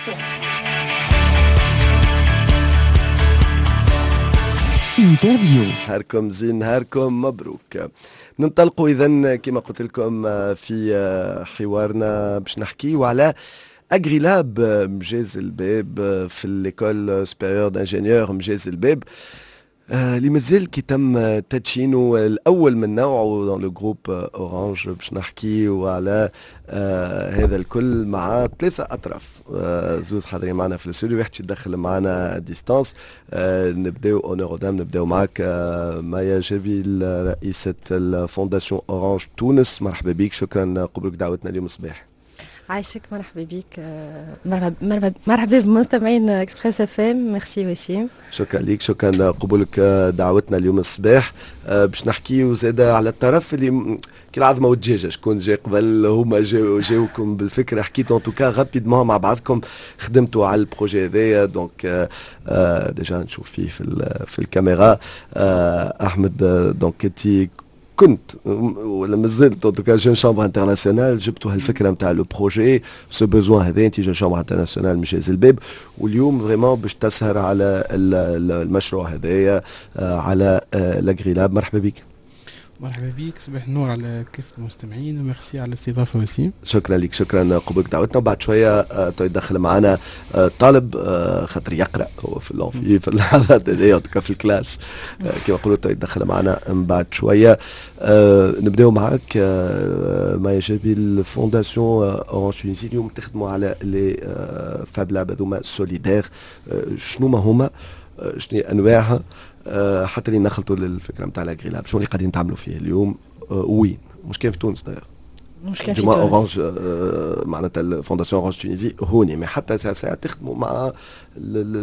interview. نهاركم زين، نهاركم مبروك. ننطلقوا اذا كما قلت لكم في حوارنا باش نحكيو على Agrilab مجاز الباب في l'école supérieure d'ingénieurs مجاز الباب، اللي مازال كي تم تدشينه الاول من نوعه dans le groupe Orange. باش نحكيو على هذا الكل مع ثلاثة اطراف، زوز حاضرين معنا في الاستوديو، واحد يدخل معنا à distance. نبداو honneur aux dames، نبداو معك مايا جبيل، رئيسة ال fondation Orange تونس. مرحبا بك، شكرا قبولك دعوتنا اليوم الصباح. عايشك، مرحبا بك، مرحبا مرحبا بمستمعين Express FM، merci وسيم. شكرا لك، شكرا قبولك دعوتنا اليوم الصباح. باش نحكيو زاده على الطرف اللي كي العظمة والدجاجه، شكون جا قبل؟ هما جاوكم بالفكره، حكيتوا en tout cas rapidement مع بعضكم، خدمتوا على ال projet هذايا. donc déjà نشوف فيه في الكاميرا احمد، donc انت كنت ولا مازلت en tout cas jeune chambre internationale، جبتوا هالفكرة نتاع le projet، ce besoin هذا، انت jeune chambre internationale مجاز الباب، واليوم vraiment باش تسهر على المشروع هذايا، على l'Agrilab. مرحبا بك. مرحبا بك، صباح النور على كافة المستمعين وميرسي على الاستضافة وسيم. شكرا لك، شكرا قبولك دعوتنا. وبعد شوية يدخل معنا طالب خاطر يقرا هو في l'amphi في اللحظات هذيا، في ال classe كما نقولوا، يدخل معنا من بعد شويه. نبداو معك مايا جابي، ال fondation Orange Tunisie، اليوم تخدموا على les fablabs هذوما solidaires، شنو ما هما؟ شنو انواعها؟ حتى اللي نخلطوا للفكرة نتاع l'Agrilab، شنو اللي قاعدين تعملوا فيه اليوم؟ وين؟ مش كان في تونس d'ailleurs. مش كان في تونس. Orange معناتها ال fondation Orange Tunisie هوني، mais حتى ساعة ساعة تخدموا مع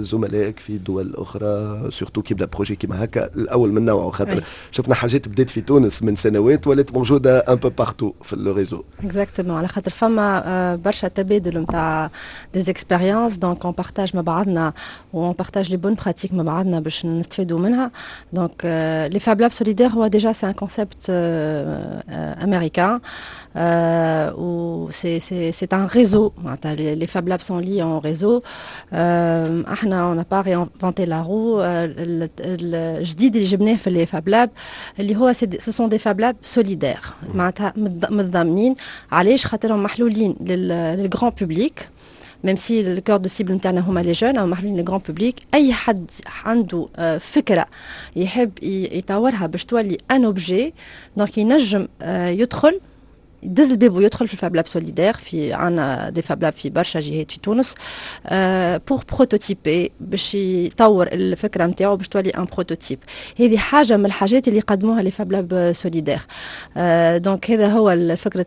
زملائك في دول اخرى، surtout كي يبدا projet كيما هكا الاول من نوعه، خاطر شفنا حاجات بدات في تونس من سنوات ولات موجودة un peu partout في le réseau. exactement، على خاطر فما برشا تبادل نتاع des expériences، donc on partage مع بعضنا و on partage les bonnes pratiques مع بعضنا باش نستفيدوا منها. donc les fablabs solidaires هو déjà c'est un concept américain و c'est un réseau. Les Fab Labs sont liés en réseau. احنا on n'a pas réinventé la roue. الجديد اللي جبناه في les Fab Labs اللي هو ce sont des Fab Labs solidaires، معناتها متضامنين. علاش؟ خاطرهم محلولين لل grand public، même si le cœur de cible نتاعنا هما les jeunes، او محلولين لل grand public. اي حد عنده فكرة يحب يطورها باش تولي un objet، donc ينجم يدخل، يدز الباب ويدخل في ال fablab solidaire. في عندنا des fablabs في برشا جهات في تونس pour prototyper، باش يطور الفكرة نتاعو باش تولي un prototype. هذه حاجة من الحاجات اللي قدموها les fablabs solidaires. donc هذا هو فكرة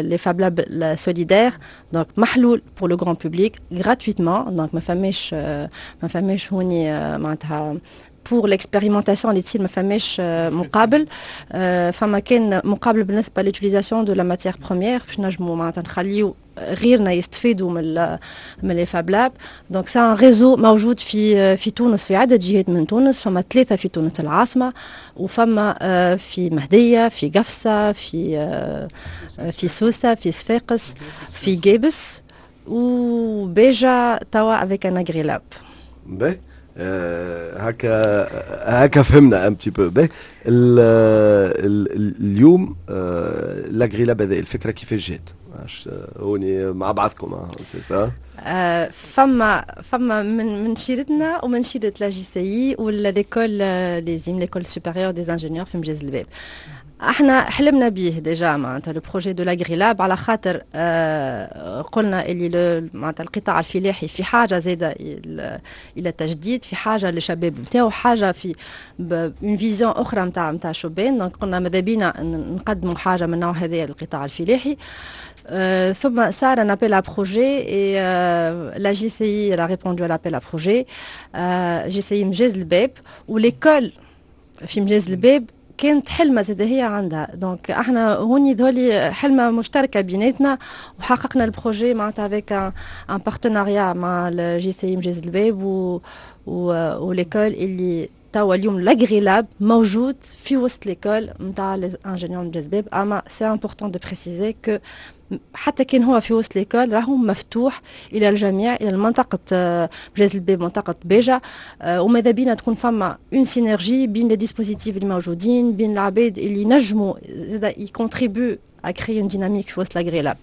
les fablabs solidaires، donc محلول pour le grand public gratuitement، donc ما فماش هوني معناتها pour l'expérimentation اللي تصير ما فماش مقابل. فما كان مقابل بالنسبة l'utilisation de la matière première، باش نجموا معناتها نخليو غيرنا يستفيدوا من les fablabs. donc c'est un réseau موجود في تونس، في عده جهات من تونس. فما ثلاثة في تونس العاصمه، وفما في مهديه، في قفصه، في سوسه، في صفاقس، في قابس وباجة توا avec un Agrilab. باهي، هكا هكا فهمنا un petit peu. باهي، اليوم l'Agrilab هذا الفكرة كيفاش جات؟ هوني مع بعضكم، c'est ça؟ فما من شيرتنا ومن شيرة la JCI ولا l'école l'ESIM، l'école supérieure des ingénieurs في مجاز الباب. احنا حلمنا به déjà معناتها le projet de l'Agrilab، على خاطر قلنا اللي معناتها القطاع الفلاحي في حاجة زاده الى التجديد، في حاجة للشباب نتاعو، حاجة في une vision اخرى نتاع شبان. donc قلنا ماذا بينا نقدموا حاجة من النوع هذا للقطاع الفلاحي. ثم صار un appel à projet et la JCI elle a répondu à l'appel à projet. JCI مجاز الباب و l'école في مجاز الباب كانت حلمة زاد هي عندها. donc احنا هوني ذولي حلمة مشتركة بيناتنا وحققنا ال projet معناتها avec un partenariat مع ال JCI مجاز الباب و l'école، اللي توا اليوم l'Agrilab موجود في وسط l'école نتاع les ingénieurs مجاز الباب. اما c'est important de préciser que حتى كان هو في وسط l'école راهو مفتوح الى الجميع، الى المنطقة مجاز الباب، منطقة باجة. وماذا بينا تكون فما une synergie بين les dispositifs اللي موجودين، بين العباد اللي نجموا زادا ي contribuent à créer une dynamique في وسط l'AgriLab،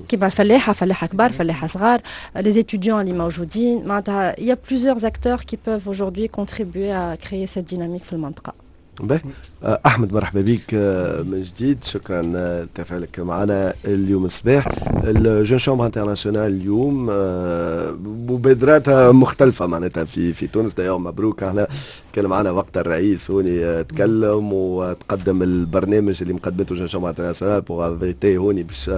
كيما الفلاحه، فلاحة كبار، فلاحة صغار، les étudiants اللي موجودين. معناتها il y a plusieurs acteurs qui peuvent aujourd'hui contribuer à créer cette dynamique في المنطقه. باهي، احمد، مرحبا بك من جديد، شكرا لتفاعلك معنا اليوم الصباح. ال Jeune Chambre Internationale اليوم مبادراتها مختلفة معناتها في تونس. d'ailleurs مبروك، احنا تكلم معنا وقت الرئيس هوني، تكلم وتقدم البرنامج اللي مقدمته Jeune Chambre Internationale pour inviter هوني باش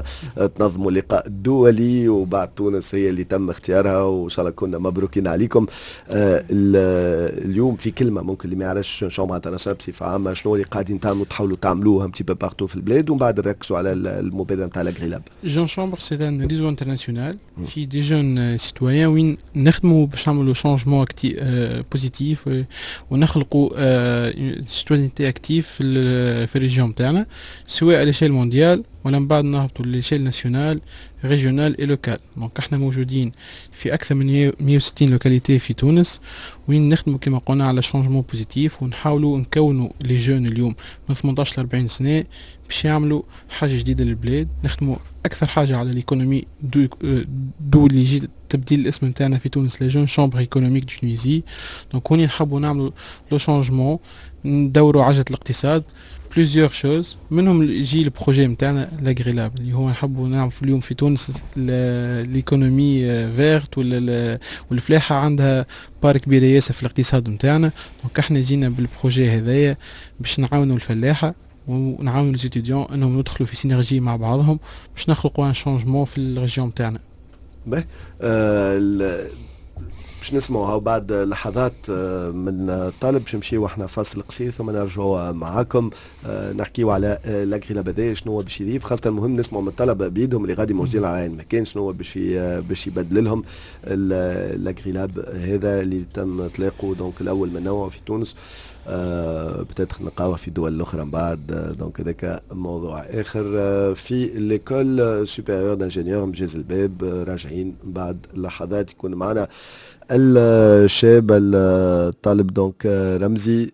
تنظموا لقاء دولي، وبعد تونس هي اللي تم اختيارها، وان شاء الله كنا مبروكين عليكم. اليوم في كلمه، ممكن اللي ما يعرفش Chambre Internationale بصفة عامه، شنو اللي قاعدين تعملوا، تحاولوا تعملوه un petit peu partout في البلاد، ومن بعد نركزوا على المبادرة نتاع l'AgriLab. Jeune Chambre c'est un réseau international في des jeunes citoyens، وين نخدموا باش نعملوا changement positif ونخلقوا citoyenneté active في ال région تاعنا، سواء à l'échelle mondiale ولا من بعد نهبطوا l'échelle nationale، régionale et locale. donc احنا موجودين في اكثر من 160 localités في تونس، وين نخدموا كما قلنا على changement positif، ونحاولوا نكونوا les jeunes اليوم من 18 ل 40 سنة باش يعملوا حاجة جديدة للبلاد. نخدموا اكثر حاجة على l'économie، d'où اللي يجي تبديل الاسم نتاعنا في تونس la Jeune Chambre Économique de Tunisie. donc هوني نحبوا نعملوا le changement، ندوروا عجله الاقتصاد، plusieurs choses، منهم يجي ال projet نتاعنا l'AgriLab، اللي هو نحبوا نعمل اليوم في تونس l'économie verte، والفلاحه عندها part كبيرة ياسر في الاقتصاد نتاعنا. donc احنا جينا بال projet هذايا باش نعاونوا الفلاحة ونعاونوا les étudiants انهم يدخلوا في synergie مع بعضهم باش نخلقوا un changement في ال région تاعنا. باهي، باش نسمعوا بعد لحظات من طالب، باش نمشيو احنا فاصل قصير ثم نرجعوا معاكم نحكيو على l'AgriLab هذا، شنو هو باش يضيف. خاصة المهم نسمعوا من الطلبة بيدهم اللي غادي موجودين على المكان، شنو هو باش يبدل لهم l'AgriLab هذا اللي تم اطلاقه donc الاول من نوعه في تونس. Peut-être نلقاوه في دول الاخرى من بعد، donc هذاك موضوع اخر. في l'école supérieure d'ingénieurs مجاز الباب، راجعين بعد لحظات، يكون معنا الشاب الطالب donc رمزي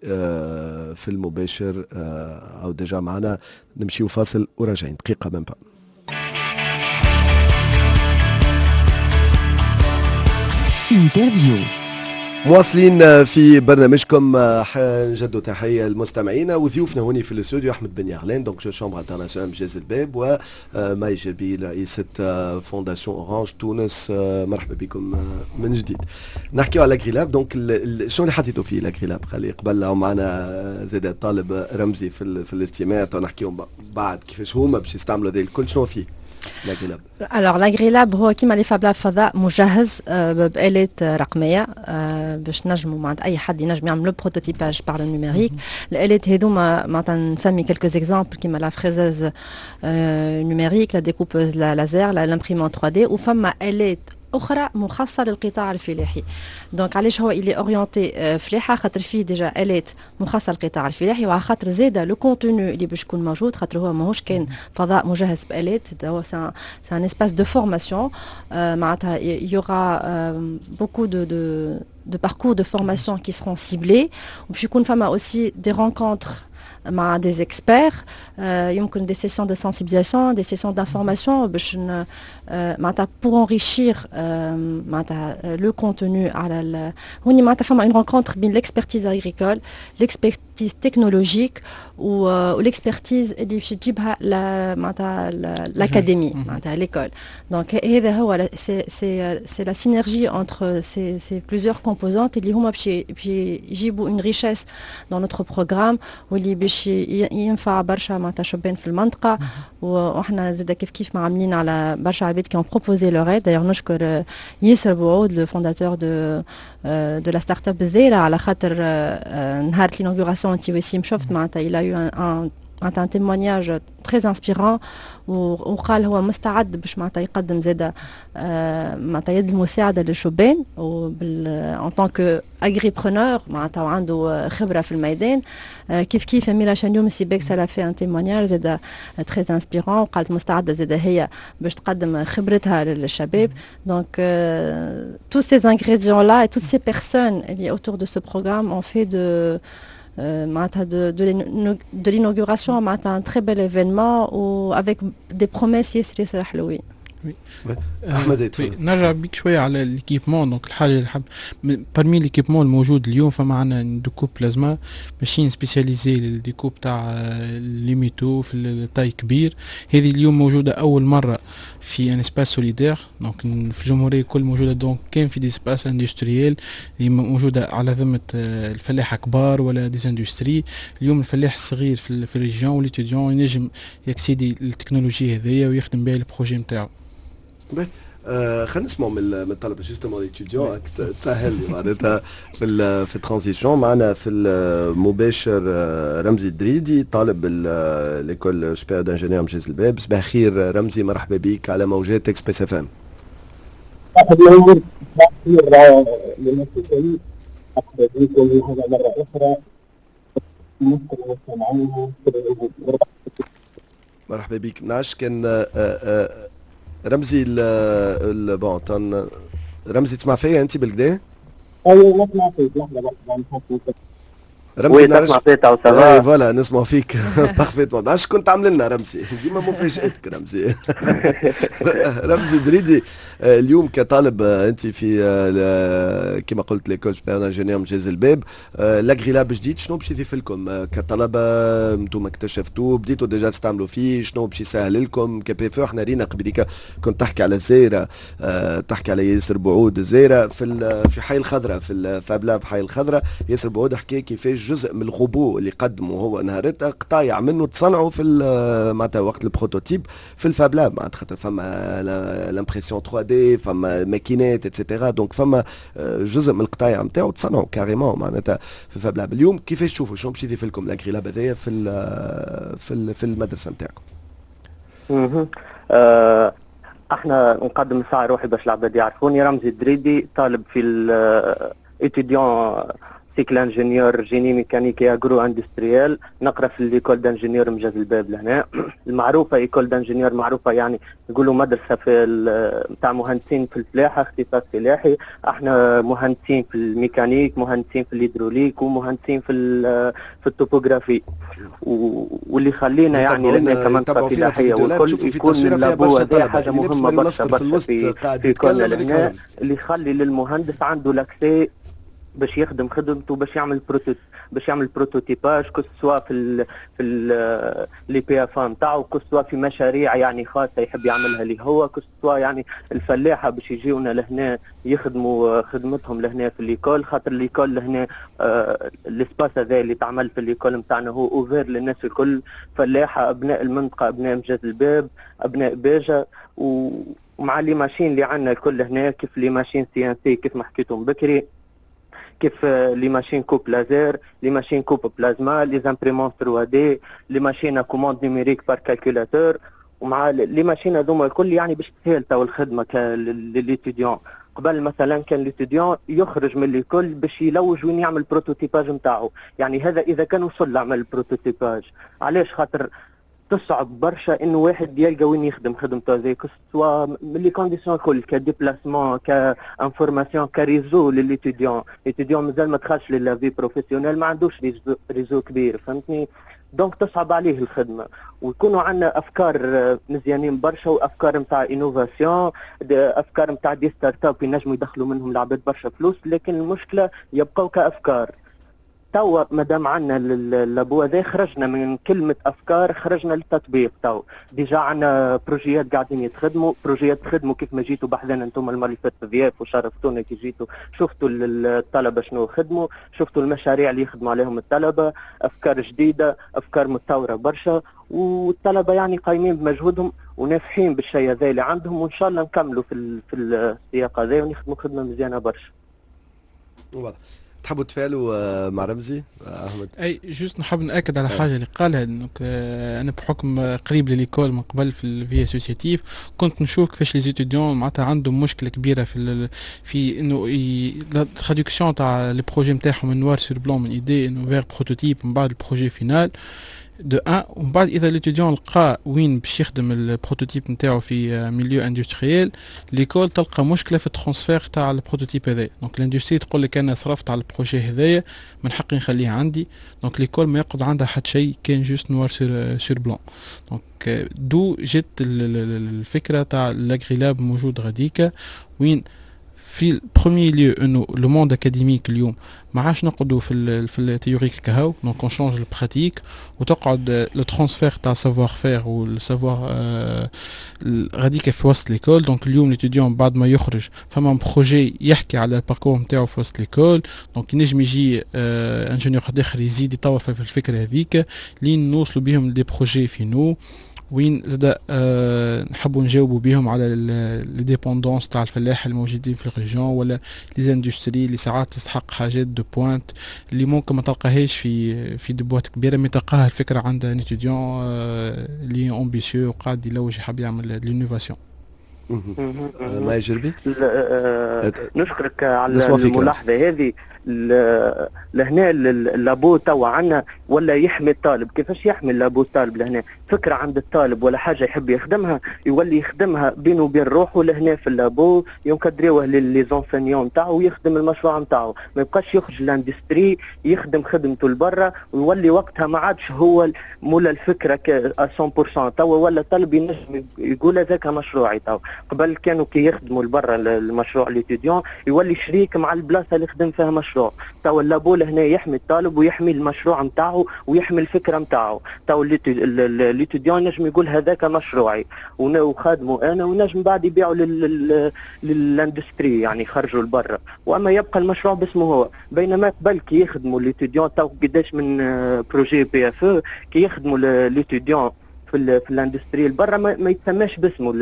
في المباشر او déjà معنا. نمشيو فاصل وراجعين، دقيقة même pas. interview. مواصلين في برنامجكم، نجدوا تحية المستمعين وضيوفنا هوني في الاستوديو، احمد بن يغلان donc Jeune Chambre Internationale مجاز الباب، وماي جربي رئيسة Fondation Orange تونس. مرحبا بكم من جديد. نحكيو على l'AgriLab، donc شنو اللي حطيتوا فيه l'AgriLab؟ خلي قبل معنا زاد الطالب رمزي في الاستماع، نحكيو بعد كيفاش هما باش يستعملوا هذا الكل. شنو فيه l'AgriLab؟ alors l'AgriLab هو كيما les fablabs، فضاء مجهز بآلات رقمية باش نجموا معناتها اي حد ينجم يعمل le prototypage par le numérique. الآلات هذوما معناتها نسمي quelques exemples كيما la fraiseuse numérique، la découpeuse laser، l'imprimante 3D، وفما آلات اخرى مخصصة للقطاع الفلاحي. donc علاش هو il est orienté فلاحه؟ خاطر فيه déjà الات مخصصة للقطاع الفلاحي، وعلى خاطر زاده le contenu اللي باش يكون موجود، خاطر هو ماهوش كان فضاء مجهز بالات، هو c'est un espace de formation. معناتها il y aura beaucoup de parcours de formation qui seront ciblés، وباش يكون فما aussi des rencontres مع des experts، يمكن des sessions de sensibilisation، des sessions d'information، باش معناتها pour enrichir معناتها le contenu على هوني. معناتها فما une rencontre بين l'expertise agricole، l'expertise technologique و l'expertise اللي باش تجيبها معناتها l'académie، معناتها l'école. donc هذا هو c'est la synergie entre ces plusieurs composantes اللي هما باش يجيبوا une richesse dans notre programme، واللي باش ينفع برشا معناتها شبان في المنطقه. واحنا زاد كيف كيف معاملين على برشا عباد qui ont proposé leur aide. d'ailleurs نشكر ياسر بوعود، le fondateur de la startup الزايره، على خاطر نهار l'inauguration انت وسيم شفت معناتها il a eu un معناتها un témoignage très inspirant، وقال هو مستعد باش معناتها يقدم زاده معناتها يد المساعدة للشبان en tant que agripreneur، معناتها وعنده خبره في الميدان. كيف كيف أميرة شانيوم سيباكس elle a fait un témoignage زاده très inspirant، وقالت مستعدة زاده هي باش تقدم خبرتها للشباب. donc tous ces ingrédients là et toutes ces personnes اللي autour de ce programme ont fait de معناتها de l'inauguration معناتها un très bel événement و avec des promesses ياسر ياسر حلوين. احمد. نرجع بيك شوية على l'équipement. donc الحاجة اللي حب parmi l'équipement الموجود اليوم، فما عندنا découpe plasma، machine spécialisée لل découpe تاع les métaux في ال taille كبير. هذه اليوم موجودة اول مرة في un espace solidaire، donc في الجمهورية كل موجوده، donc كان في des espaces industriels اللي موجودة على ذمه الفلاحة كبار ولا des industries. اليوم الفلاح الصغير في ال région و l'étudiant ينجم ي accéder لل technologie هذيا ويخدم بها ال projet نتاعو. خلينا نسمعوا من الطلبة justement، étudiants، تسهل لي معناتها في ال transition. معنا في المباشر رمزي الدريدي، طالب l'école supérieure d'ingénieurs مجاز الباب. صباح الخير رمزي، مرحبا بك على موجات Express FM. صباح الخير للناس الكل، مرحبا بكم هذا مرة أخرى. المستمعين. مرحبا بك. نعش كان رمزي ال bon رمزي، تسمع فيا انت بالكدا؟ ايوه نسمع فيك، لحظة بس. رمزي. نسمع فيك. اي voilà، نسمع فيك parfaitement. اش كنت عامل لنا رمزي؟ ديما مفاجاتك رمزي. رمزي دريدي، اليوم كطالب انت في كما قلت l'école supérieure d'ingénieurs مجاز الباب، l'AgriLab جديد شنو باش يضيف لكم كطلبه؟ انتم اكتشفتوه، بديتوا déjà تستعملوا فيه، شنو باش يسهل لكم كبي؟ احنا رينا قبليك كنت تحكي على الزايره، تحكي على ياسر بعود الزايره في حي الخضراء، في ال fablab حي الخضراء. ياسر بعود حكى كيفاش جزء من الغبو اللي قدمه هو نهارتها قطايع منه تصنعوا في معناتها وقت ال prototype في ال fablab، معناتها خاطر فما l'impression 3D، فما ماكينات et cetera، donc فما جزء من القطايع نتاعو تصنعوا carrément معناتها في ال fablab. اليوم كيفاش تشوفوا، شنو باش يضيف لكم l'AgriLab هذايا في المدرسة نتاعكم؟ احنا نقدم ساعة روحي باش العباد يعرفوني، رمزي الدريدي، طالب في étudiant cycle ingénieur génie mécanique agro-industriel، نقرا في l'école d'ingénieurs مجاز الباب لهنا المعروفه، école d'ingénieurs معروفه، يعني يقولوا مدرسه في نتاع مهندسين في الفلاحه، اختصاص فلاحي. احنا مهندسين في الميكانيك، مهندسين في الهيدروليك، ومهندسين في ال topographie، واللي خلينا يعني لهنا كمنطقه فلاحية والكل يكون ال labo هذا حاجة مهمة برشا برشا في كل لهنا، اللي يخلي للمهندس عنده l'accès باش يخدم خدمته، باش يعمل prototypage، que ce soit في les PFA نتاعو، que ce soit في مشاريع يعني خاصة يحب يعملها اللي هو، que ce soit يعني الفلاحة باش يجيونا لهنا يخدموا خدمتهم لهنا في l'école، خاطر l'école لهنا l'espace هذا اللي تعمل في l'école نتاعنا هو ouvert للناس الكل، فلاحه، ابناء المنطقه، ابناء مجاز الباب، ابناء باجه. ومع les machines اللي عندنا الكل هنا، كيف les machines CNC كيف ما حكيتم بكري، كيف les machines coupe laser، les machines coupe plasma، les imprimantes 3D، les machines commande numérique par calculateur، ومع les machines هذوما الكل يعني باش تسهل تو الخدمة لل étudiant. قبل مثلا كان l'étudiant يخرج من l'école باش يلوج وين يعمل prototypage نتاعو، يعني هذا اذا كان وصل لعمل prototypage. علاش؟ خاطر تصعب برشا انه واحد يلقى وين يخدم خدمته زي، que ce soit من les conditions الكل، ك déplacement، ك information، ك réseau لل étudiant. l'étudiant مازال ما دخلش ل la vie professionnelle، ما عندوش réseau كبير، فهمتني؟ donc تصعب عليه الخدمه. ويكونوا عندنا افكار مزيانين برشا وافكار نتاع innovation، افكار نتاع des startups ينجموا يدخلوا منهم العباد برشا فلوس، لكن المشكلة يبقوا كافكار. توا مادام عندنا ال labo هذا خرجنا من كلمة أفكار، خرجنا للتطبيق. تو déjà عندنا projet ات قاعدين يتخدموا، projet ات تخدموا كيف ما جيتوا بحذانا انتم المرة اللي فاتت ضياف وشرفتونا كي جيتوا، شفتوا الطلبة شنو خدموا، شفتوا المشاريع اللي يخدموا عليهم الطلبة، أفكار جديدة، أفكار متطورة برشا، والطلبة يعني قايمين بمجهودهم ونافحين بالشيء هذا اللي عندهم، وإن شاء الله نكملوا في السياق هذا ونخدموا خدمة مزيانة برشا. واضح. تحبوا تفعلوا مع رمزي احمد؟ اي، juste نحب ناكد على حاجة اللي قالها، donc انا بحكم قريب ل l'école من قبل في ال vie associative كنت نشوف كيفاش les étudiants معناتها عندهم مشكلة كبيرة في انه la traduction تاع les projets نتاعهم من noir sur blanc، من idée انه vers prototype، من بعد ال projet final de un. ومن بعد اذا l'étudiant لقى وين باش يخدم ال prototype نتاعو في milieu industriel، l'école تلقى مشكلة في ال transfert تاع ال prototype هذايا. donc l'industrie تقول لك انا صرفت على ال projet هذايا، من حقي نخليه عندي. donc l'école ما يقعد عندها حتى شيء كان juste noir sur blanc. donc d'où جت الفكرة تاع l'AgriLab موجود غاديكا، وين في premier lieu انه le monde académique اليوم ما عادش نقعدوا في ال théorique كهو، donc on change ال pratique وتقعد le transfert تاع savoir-faire وال savoir غاديك في وسط l'école. donc اليوم l'étudiant بعد ما يخرج فما projet يحكي على ال parcours نتاعو في وسط l'école، donc ينجم يجي ingénieur اخر يزيد يطور في الفكرة هذيك لين نوصلوا بهم des projets finaux، وين زاد نحبوا نجاوبوا بهم على les dépendances تاع الفلاح الموجودين في ال région ولا les industries اللي ساعات تستحق حاجات de pointe اللي ممكن ما تلقاهاش في des boîtes كبيره، mais تلقاها الفكرة عند un étudiant اللي ambitieux وقاعد يلوج يحب يعمل l'innovation. ما يجربي. نشكرك على الملاحظة هذه. لهنا ال labo توا عندنا ولا يحمي الطالب. كيفاش يحمي ال labo الطالب؟ لهنا فكرة عند الطالب ولا حاجة يحب يخدمها، يولي يخدمها بينه وبين روحه لهنا في ال labo، ينكدريوه les enseignants نتاعو ويخدم المشروع نتاعو، ما يبقاش يخرج l'industrie يخدم خدمته لبرا ويولي وقتها ما عادش هو مولا الفكرة 100%. توا ولا الطالب ينجم يقول هذاك مشروعي. توا قبل كانوا كي يخدموا لبرا المشروع l'étudiant يولي شريك مع البلاصة اللي خدم فيها مشروع. توا ال labo لهنا يحمي الطالب ويحمي المشروع نتاعو ويحمي الفكرة نتاعو. توا l'étudiant نجم يقول هذاك مشروعي وخادمه انا، ونجم بعد يبيعوا لل industrie، يعني يخرجوا لبرا، واما يبقى المشروع باسمه هو. بينما قبل كي يخدموا l'étudiant، تو قداش من projet PFE كي يخدموا l'étudiant في l'industrie برا ما يتسماش باسمه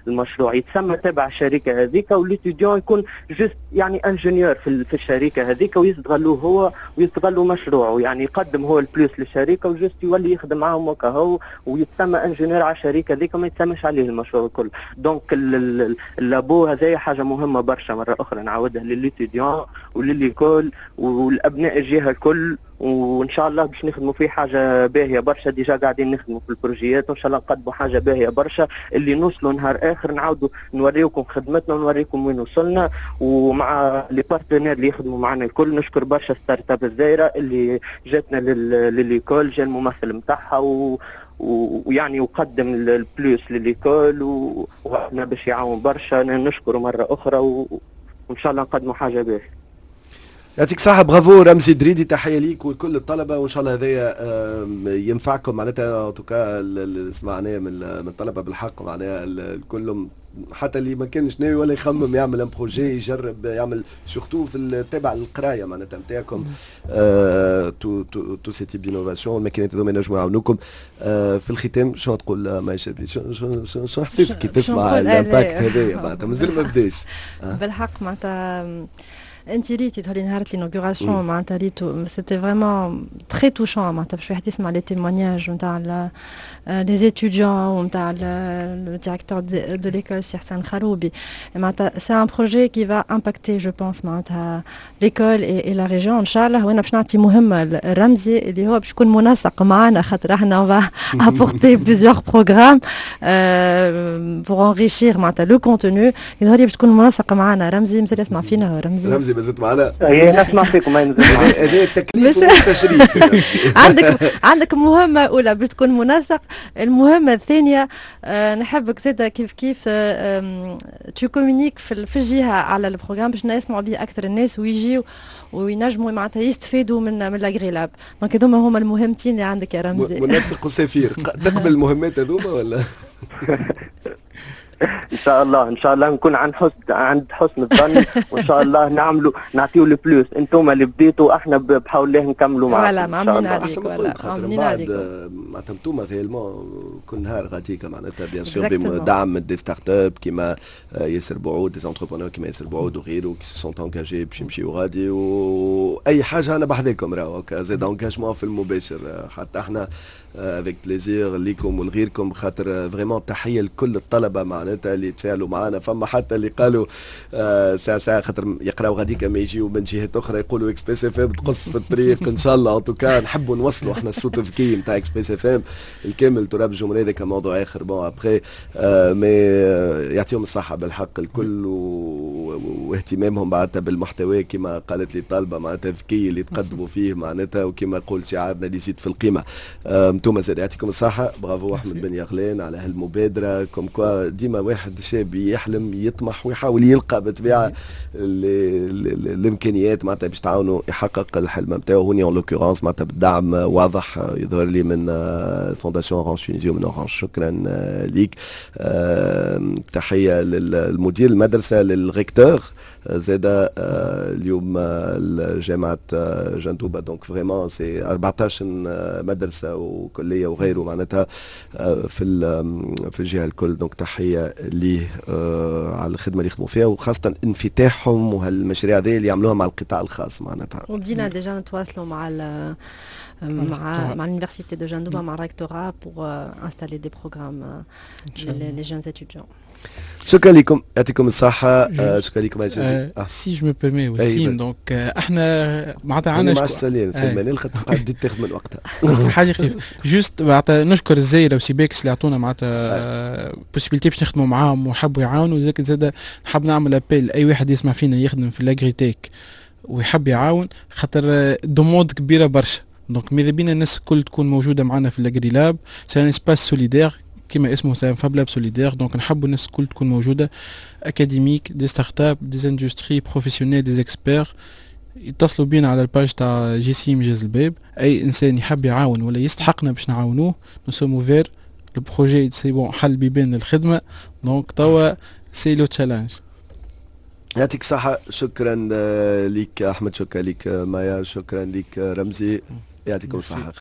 المشروع، يتسمى تبع الشركة هذيك، و l'étudiant يكون juste يعني ingénieur في الشركة هذيك، ويستغلوه هو ويستغلوا مشروعه، يعني يقدم هو ال plus للشركة و juste يولي يخدم معاهم وكهو، ويتسمى ingénieur على الشركة هذيك، ما يتسمىش عليه المشروع الكل. donc ال labo هذايا حاجة مهمة برشا، مرة اخرى نعاودها، ل l'étudiant ولل école والابناء الجهة الكل، وان شاء الله باش نخدموا فيه حاجة باهيه برشا. déjà قاعدين نخدموا في ال projet ات، وان شاء الله نقدموا حاجة باهيه برشا اللي نوصلوا نهار اخر نعاودوا نوريكم خدمتنا ونوريكم وين وصلنا، ومع les partenaires اللي يخدموا معنا الكل. نشكر برشا startup الزايره اللي جاتنا ل l'école، جا الممثل نتاعها ويعني وقدم ال plus ل l'école وعدنا باش يعاون برشا. نشكره مرة اخرى وان شاء الله نقدموا حاجة باهيه. يعطيك صحة، برافو رمزي دريدي، تحية ليك ولكل الطلبة، وإن شاء الله هذايا ينفعكم. معناتها en tout cas اللي سمعناه من الطلبة بالحق معناها الكل، حتى اللي ما كانش ناوي ولا يخمم يعمل un projet، يجرب يعمل، surtout في تابع القراية معناتها نتاعكم، tout ce type d'innovation، الماكينات هذوما ينجموا يعاونوكم. في الختام شنو تقول ما شبي؟ شنو حسيت كي تسمع l'impact هذايا؟ معناتها مازال ما بداش. بالحق معناتها انت ريتي تهولي نهار l'inauguration، معناتها ريتو c'était vraiment très touchant، معناتها باش واحد يسمع les témoignages نتاع les étudiants ونتاع le directeur de l'école سي حسن خروبي. معناتها c'est un projet qui va impacter je pense معناتها l'école et la région ان شاء الله. وانا باش نعطي مهمة الرمزي اللي هو باش يكون منسق معنا، خاطر احنا on va apporter plusieurs programmes pour enrichir معناتها le contenu. يظهر لي باش تكون منسق معنا رمزي. مازال يسمع فينا رمزي؟ رمزي مازلت معنا؟ اي، نسمع فيكم. هذا التكليف والتشريف. عندك مهمة أولى باش تكون منسق. المهمة الثانية نحبك زادة كيف كيف tu communiques في الجهة على ال programme باش يسمعوا به أكثر الناس ويجيو وينجموا معناتها يستفيدوا من l'AgriLab. donc هذوما هما المهمتين اللي عندك يا رمزي. منسق وسفير، تقبل المهمات هذوما ولا؟ ان شاء الله، ان شاء الله نكون عند حسن الظن، وان شاء الله نعملوا نعطيو le plus. انتم اللي بديتوا، احنا بحول الله نكملوا معاكم. voilà، معملين عليك. ولا خاطر بعد معناتها انتم réellement كل نهار غاديكا معناتها bien sûr بدعم des startups كيما ياسر بعود، des entrepreneurs كيما ياسر بعود وغيره qui se sont engagés باش يمشيو غادي، واي حاجة انا بحذاكم، راهو زاد engagement في المباشر حتى احنا avec plaisir ليكم ولغيركم، خاطر vraiment تحية لكل الطلبة معناتها اللي تفاعلوا معنا. فما حتى اللي قالوا ساعة ساعة خاطر يقراو غاديك ما يجيو من جهات اخرى، يقولوا Express FM تقص في الطريق. ان شاء الله en tout cas نحبوا نوصلوا احنا الصوت الذكي نتاع Express FM الكامل تراب الجمهوريه، هذاك موضوع اخر. bon après mais يعطيهم الصحة بالحق الكل واهتمامهم معناتها بالمحتوى كما قالت لي الطالبه، معناتها الذكي اللي تقدموا فيه معناتها، وكما يقول شعارنا اللي يزيد في القيمه. انتم زاد يعطيكم الصحه، برافو احمد بن يغلان على هالمبادره. comme quoi ديما واحد شاب يحلم، يطمح، ويحاول يلقى بالطبيعة الامكانيات معناتها باش تعاونوا يحقق الحلم نتاعو. هوني en l'occurrence معناتها بالدعم واضح يظهر لي من Fondation Orange Tunisie ومن Orange. شكرا ليك، تحية للمدير المدرسه، لل recteur زاد اليوم جامعة جندوبة. donc vraiment c'est 14 مدرسة وكلية وغيره معناتها في الجهة الكل. donc تحية ليه على الخدمة اللي يخدموا فيها وخاصة انفتاحهم وهالمشاريع هذه اللي يعملوها مع القطاع الخاص معناتها. وبدينا déjà نتواصلوا مع l'université de Jendouba، مع rectorat pour installer des programmes les jeunes étudiants. شكرا لكم، يعطيكم الصحة، شكرا لكم. si je me permets وسيم، donc احنا معناتها عندنا ما عادش سليم سلمان خاطر بديت تاخذ من وقتها. حاجة خفيفة juste، معناتها نشكر الزايره وسيباكس اللي عطونا معناتها possibilité باش نخدموا معاهم وحبوا يعاونوا. لذلك زاد نحب نعمل appel، اي واحد يسمع فينا يخدم في l'agritech ويحب يعاون، خاطر demande كبيرة برشا. donc ماذا بينا الناس الكل تكون موجودة معنا في l'Agrilab. c'est un espace solidaire كما اسمه، c'est un fablab solidaire. donc نحبوا الناس الكل تكون موجوده، académiques، des startups، des industries، professionnels، des experts. يتصلوا بينا على ال page تاع JCI مجاز الباب. اي انسان يحب يعاون ولا يستحقنا باش نعاونوه، nous sommes ouverts. le projet c'est bon، حل بيبان الخدمه، donc توا c'est le challenge. يعطيك الصحة، شكرا لك أحمد، شكرا لك مايا، شكرا لك رمزي، يعطيكم الصحة.